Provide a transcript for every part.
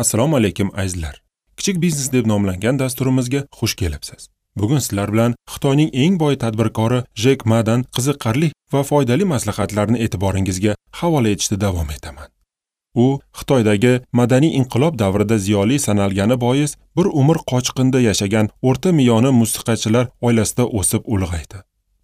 Assalomu alaykum azizlar. Kichik biznes deb nomlangan dasturimizga xush kelibsiz. Bugun sizlar bilan Xitoyning eng boy tadbirkori Jek Madan qiziqarli va foydali maslahatlarni e'tiboringizga havola etishda davom etaman. U Xitoydagi madaniy inqilob davrida ziyoli sanalgani bois bir umr qochqinda yashagan o'rta miyoni musiqachilar oilasida o'sib ulg'aydi.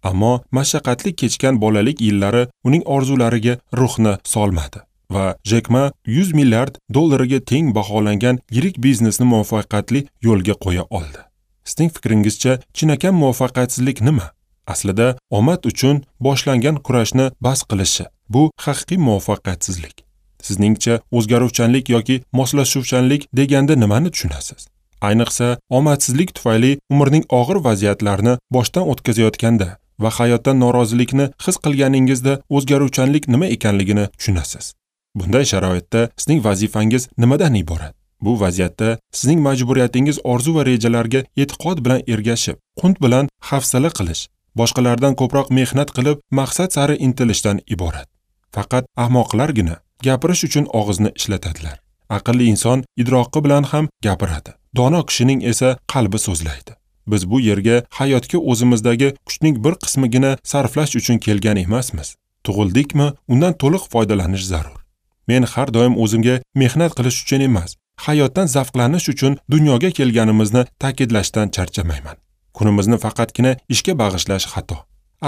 Ammo mashaqqatli kechgan bolalik yillari uning orzulariga ruhni solmadi va Jek Ma 100 milliard dollarga teng baholangan yirik biznesni muvaffaqiyatli yo'lga qo'ya oldi. Sizning fikringizcha chinakam muvaffaqiyatsizlik nima? Aslida omad uchun boshlangan kurashni bas qilishi bu haqiqiy muvaffaqiyatsizlik. Sizningcha o'zgaruvchanlik yoki moslashuvchanlik deganda nimani tushunasiz? Ayniqsa omadsizlik tufayli umrning og'ir vaziyatlarini boshdan o'tkazayotganda va hayotdan norozilikni his qilganingizda o'zgaruvchanlik nima ekanligini tushunasiz. Bunday sharoitda sizning vazifangiz nimadan iborat? Bu vaziyatda sizning majburiyatingiz orzu va rejalarga e'tiqod bilan ergashib, qunt bilan hafsala qilish, boshqalardan ko'proq mehnat qilib, maqsad sari intilishdan iborat. Faqat ahmoqlargina gapirish uchun og'izni ishlatadilar. Aqlli inson idroqi bilan ham gapiradi. Dono kishining esa qalbi so'zlaydi. Biz bu yerga hayotga o'zimizdagi kuchning bir qismigina sarflash uchun kelgan emasmiz. Tug'ildikmi, undan to'liq foydalanish zarur. Men har doim o'zimga mehnat qilish uchun emas, hayotdan zavqlanish uchun dunyoga kelganimizni ta'kidlashdan charchamayman. Kunimizni faqatgina ishga bag'ishlash xato.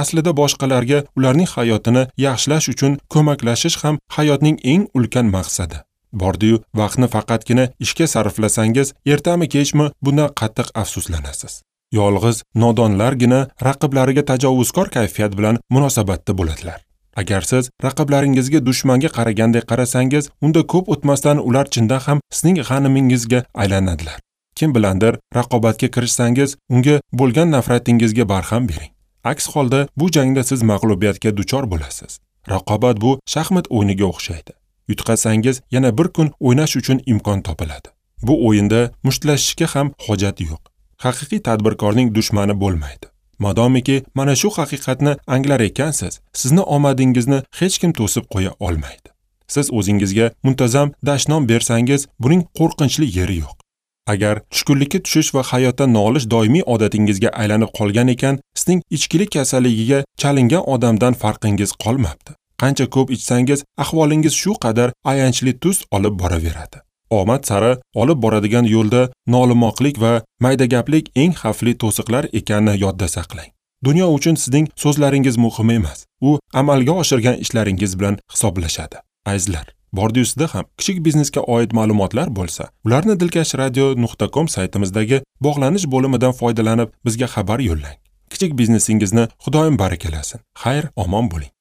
Aslida boshqalarga ularning hayotini yaxshilash uchun ko'maklashish ham hayotning eng ulkan maqsadi. Bordi-yu vaqtni faqatgina ishga sarflasangiz, ertami kechmi bundan qattiq afsuslanasiz. Yolg'iz nodonlargina raqiblariga tajovuzkor kayfiyat bilan munosabatda bo'ladilar. Agar siz raqiblaringizga dushmanga qaragandek qarasangiz, unda ko'p o'tmasdan ular chindan ham sizning g'animingizga aylanadilar. Kim bilandir raqobatga kirishsangiz, unga bo'lgan nafratingizga barham bering. Aks holda bu jangda siz mag'lubiyatga duchor bo'lasiz. Raqobat bu shaxmat o'yiniga o'xshaydi. Yutqazsangiz, yana bir kun o'ynash uchun imkon topiladi. Bu o'yinda mushtlashishga ham hojat yo'q. Haqiqiy tadbirkorning dushmani bo'lmaydi. Madomiki mana shu haqiqatni anglar ekansiz, sizni omadingizni hech kim to'sib qo'ya olmaydi. Siz o'zingizga muntazam dashnom bersangiz, buning qo'rqinchli yeri yo'q. Agar tushkunlikka tushish va hayotdan nolish doimiy odatingizga aylanib qolgan ekan, sizning ichkilik kasalligiga chalingan odamdan farqingiz qolmabdi. Qancha ko'p ichsangiz, ahvolingiz shu qadar ayanchli tus olib boraveradi. Omad sari olib boradigan yo'lda nolimoqlik va maydagaplik eng xavfli to'siqlar ekanini yodda saqlang. Dunyo uchun sizning so'zlaringiz muhim emas, u amalga oshirgan ishlaringiz bilan hisoblashadi. Azizlar, bordi-yu sizda ham kichik biznesga oid ma'lumotlar bo'lsa, ularni dilkashradio.com saytimizdagi bog'lanish bo'limidan foydalanib bizga xabar yo'llang. Kichik biznesingizni Xudoyim barakalasin. Xayr, omon bo'ling.